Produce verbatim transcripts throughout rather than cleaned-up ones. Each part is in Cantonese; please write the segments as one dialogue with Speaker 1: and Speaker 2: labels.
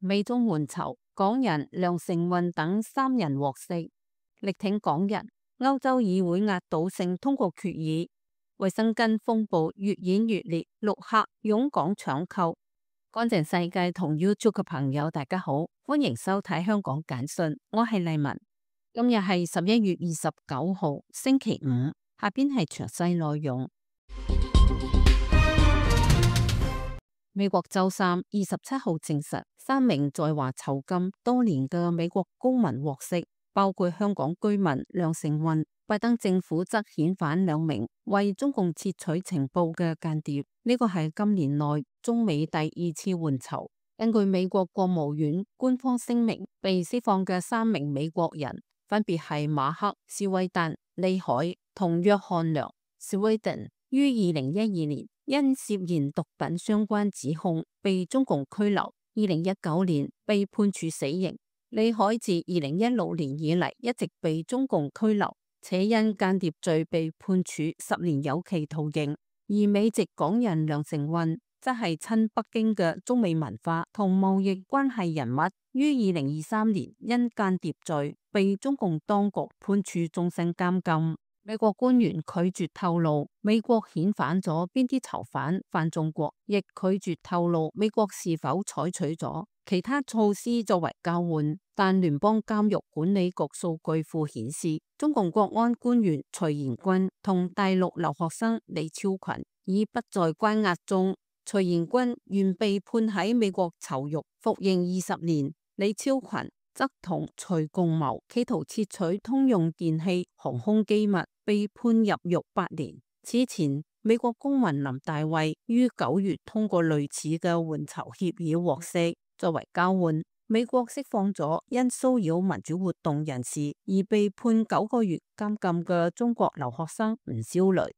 Speaker 1: 美中援囚，港人梁成運等三人獲釋，力挺港人。歐洲議會壓倒性通過決議，衛生巾風暴越演越烈，陸客湧港搶購。乾淨世界同 YouTube 嘅朋友大家好，歡迎收睇香港簡訊，我係麗文。今日係十一月二十九號星期五，下邊係詳細內容。美國週三二十七號證實，三名在華囚禁多年嘅美國公民獲釋，包括香港居民梁成運。拜登政府則遣返兩名為中共竊取情報嘅間諜，呢個係今年內中美第二次換囚。根據美國國務院官方聲明，被釋放嘅三名美國人分別係馬克·斯威登、李海同約翰梁·斯威登，於二零一二年因涉嫌毒品相關指控被中共拘留，二零一九年被判處死刑。李海自二零一六年以嚟一直被中共拘留，且因間諜罪被判處十年有期徒刑。而美籍港人梁成運則係親北京嘅中美文化同貿易關係人物，於二零二三年因間諜罪被中共當局判處終身監禁。美國官員拒絕透露美國遣返咗邊啲囚犯返中國，亦拒絕透露美國是否採取咗其他措施作為交換。但聯邦監獄管理局數據庫顯示，中共國安官員徐延軍同大陸留學生李超群已不在關押中。徐延軍原被判喺美國囚獄服刑二十年，李超群則同徐共謀企圖竊取通用電氣航空機密，被判入獄八年。此前，美國公民林大衛於九月通過類似嘅換囚協議獲釋，作為交換，美國釋放咗因騷擾民主活動人士而被判九個月監禁嘅中國留學生吳肖雷。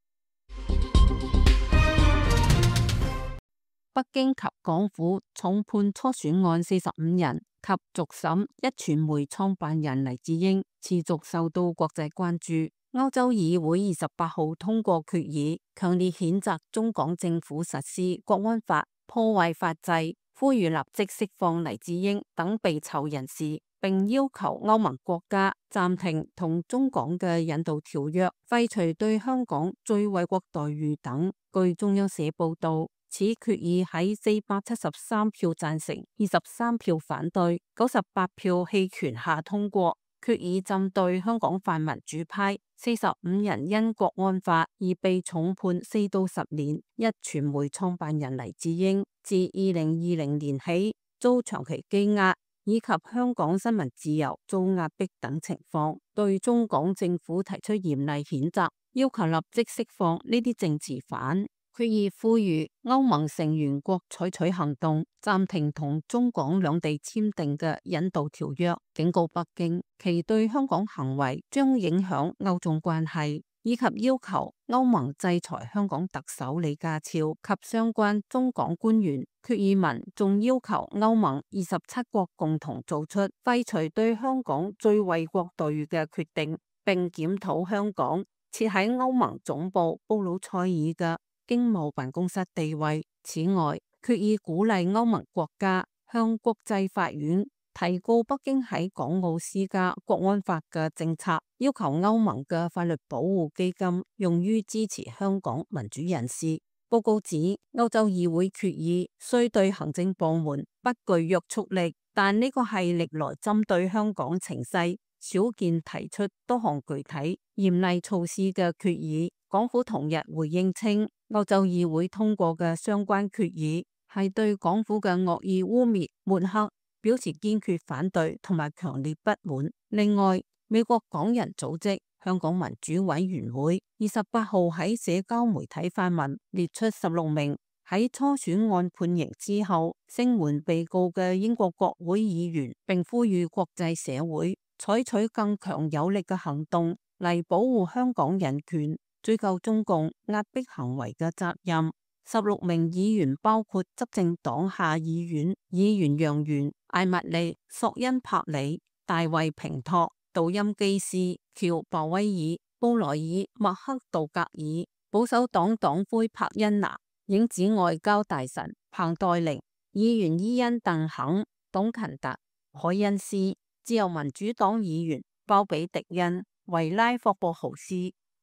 Speaker 1: 北京及港府重判初選案四十五人及續審壹傳媒創辦人黎智英，持續受到國際關注。歐洲議會二十八號通過決議，強烈譴責中港政府實施國安法，破壞法制，呼籲立即釋放黎智英等被囚人士，並要求歐盟國家暫停同中港嘅引渡條約，廢除對香港最惠國待遇等。據中央社報道，此決議喺四百七十三票贊成、二十三票反對、九十八票棄權下通過。決議針對香港泛民主派四十五人因國安法而被重判四到十年。壹傳媒創辦人黎智英自二零二零年起遭長期羈押，以及香港新聞自由遭壓迫等情況，對中港政府提出嚴厲譴責，要求立即釋放呢啲政治犯。決議呼籲歐盟成員國採取行動，暫停同中港兩地簽訂嘅引渡條約，警告北京其對香港行為將影響歐中關係，以及要求歐盟制裁香港特首李家超及相關中港官員。決議文仲要求歐盟二十七國共同做出廢除對香港最惠國待遇嘅決定，並檢討香港設喺歐盟總部布魯塞爾嘅經貿辦公室地位。此外，決議鼓勵歐盟國家向國際法院提告北京喺港澳施加國安法嘅政策，要求歐盟嘅法律保護基金用於支持香港民主人士。報告指，歐洲議會決議雖對行政部門不具約束力，但呢個係歷來針對香港情勢少見提出多項具體嚴厲措施嘅決議。港府同日回應稱，歐洲議會通過嘅相關決議係對港府嘅惡意污衊抹黑表示堅決反對同埋強烈不滿。另外，美國港人組織香港民主委員會二十八號喺社交媒體發文，列出十六名喺初選案判刑之後聲援被告嘅英國國會議員，並呼籲國際社會採取更強有力嘅行動嚟保護香港人權，追究中共壓迫行為嘅責任。十六名議員包括執政黨下議院議員楊元、艾蜜莉、索恩柏里、大衛平托、杜欽基斯、喬鮑威爾、布萊爾、麥克道格爾、保守黨黨魁柏恩拿、影子外交大臣彭黛玲、議員伊恩鄧肯、董勤達、凱恩斯、自由民主黨議員鮑比迪恩、維拉霍布豪斯、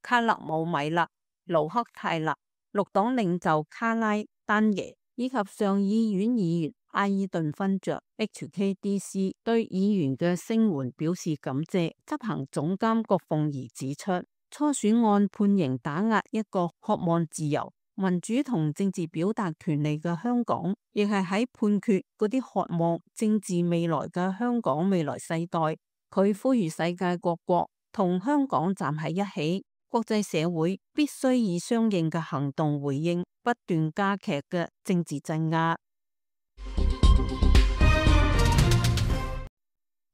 Speaker 1: 卡勒姆米勒、盧克泰勒、綠黨領袖卡拉丹耶以及上議院議員阿爾頓勳爵 H K D C 對議員嘅聲援表示感謝。執行總監郭鳳儀指出，初選案判刑打壓一個渴望自由、民主同政治表達權利嘅香港，亦係喺判決嗰啲渴望政治未來嘅香港未來世代。佢呼籲世界各國同香港站喺一起，國際社會必須以相應嘅行動回應不斷加劇嘅政治鎮壓。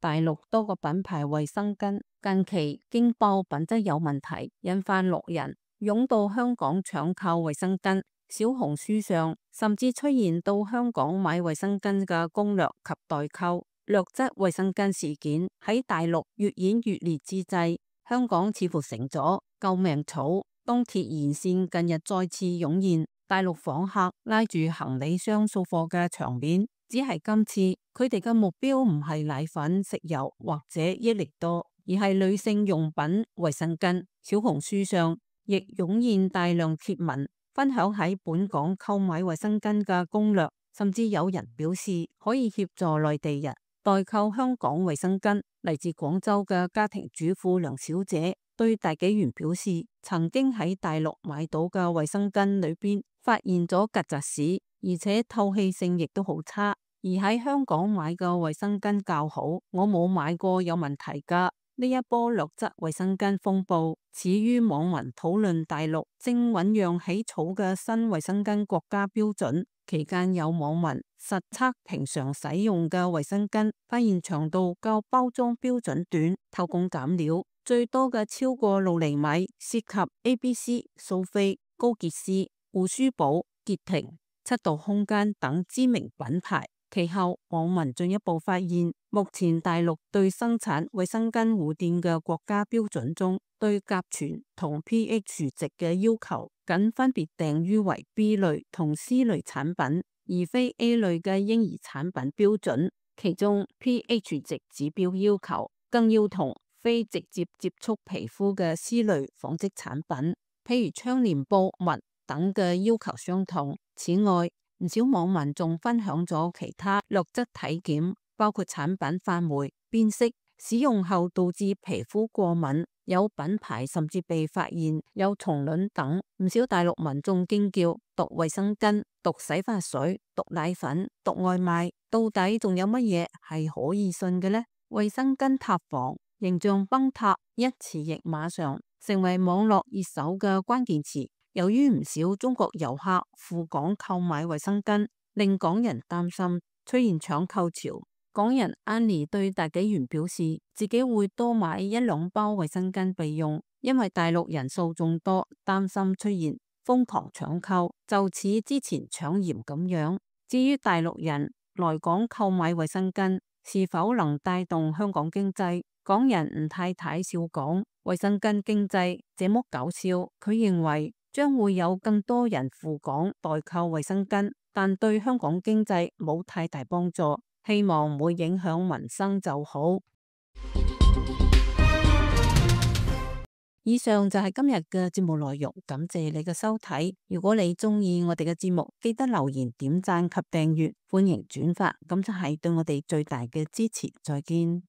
Speaker 1: 大陸多個品牌衛生巾近期驚爆品質有問題，引發路人湧到香港搶購衛生巾。小紅書上甚至出現到香港買衛生巾嘅攻略及代購劣質衛生巾事件。喺大陸越演越烈之際，香港似乎成咗救命草。東鐵沿線近日再次湧現大陸訪客拉住行李箱掃貨嘅場面，只係今次佢哋嘅目標唔係奶粉、食油或者益力多，而係女性用品衛生巾。小紅書上亦湧現大量貼文分享喺本港購買衛生巾嘅攻略，甚至有人表示可以協助內地人代購香港衛生巾。嚟自廣州嘅家庭主婦梁小姐對大紀元表示，曾經喺大陸買到嘅衛生巾裏邊發現咗曱甴屎，而且透氣性亦都好差。而喺香港買嘅衛生巾較好，我冇買過有問題㗎。呢一波劣質衛生巾風暴始於網民討論大陸正醞釀起草嘅新衛生巾國家標準期間，有網民實測平常使用嘅衛生巾，發現長度較包裝標準短，偷工減料，最多嘅超過六厘米，涉及 A B C、蘇菲、高潔絲、護舒寶、潔婷、七度空間等知名品牌。其後網民進一步發現，目前大陸對生產衛生巾護墊嘅國家標準中，對甲醛同 pH 值嘅要求僅分別定於為 B 類同 C 類產品，而非 A 類嘅嬰兒產品標準。其中 pH 值指標要求更要同非直接接觸皮膚嘅 C 類紡織產品，譬如窗簾布、襪等嘅要求相同。此外，唔少網民仲分享咗其他劣質體檢，包括產品發霉、變色、使用後導致皮膚過敏，有品牌甚至被發現有蟲卵等。唔少大陸民眾驚叫：毒衛生巾、毒洗髮水、毒奶粉、毒外賣，到底仲有乜嘢係可以信嘅呢？衛生巾塌房、形象崩塌一詞亦馬上成為網絡熱搜嘅關鍵詞。由於唔少中國遊客赴港購買衛生巾，令港人擔心出現搶購潮。港人 Annie 對大紀元表示，自己會多買一兩包衛生巾備用，因為大陸人數眾多，擔心出現瘋狂搶購，就似之前搶鹽咁樣。至於大陸人來港購買衛生巾是否能帶動香港經濟，港人吳太太笑講：衛生巾經濟這麼搞笑。佢認為將會有更多人赴港代購衛生巾，但對香港經濟冇太大幫助，希望唔會影響民生就好。以上就係今日嘅節目內容，感謝你嘅收睇。如果你鍾意我哋嘅節目，記得留言、點讚及訂閱，歡迎轉發，咁就係對我哋最大嘅支持。再見。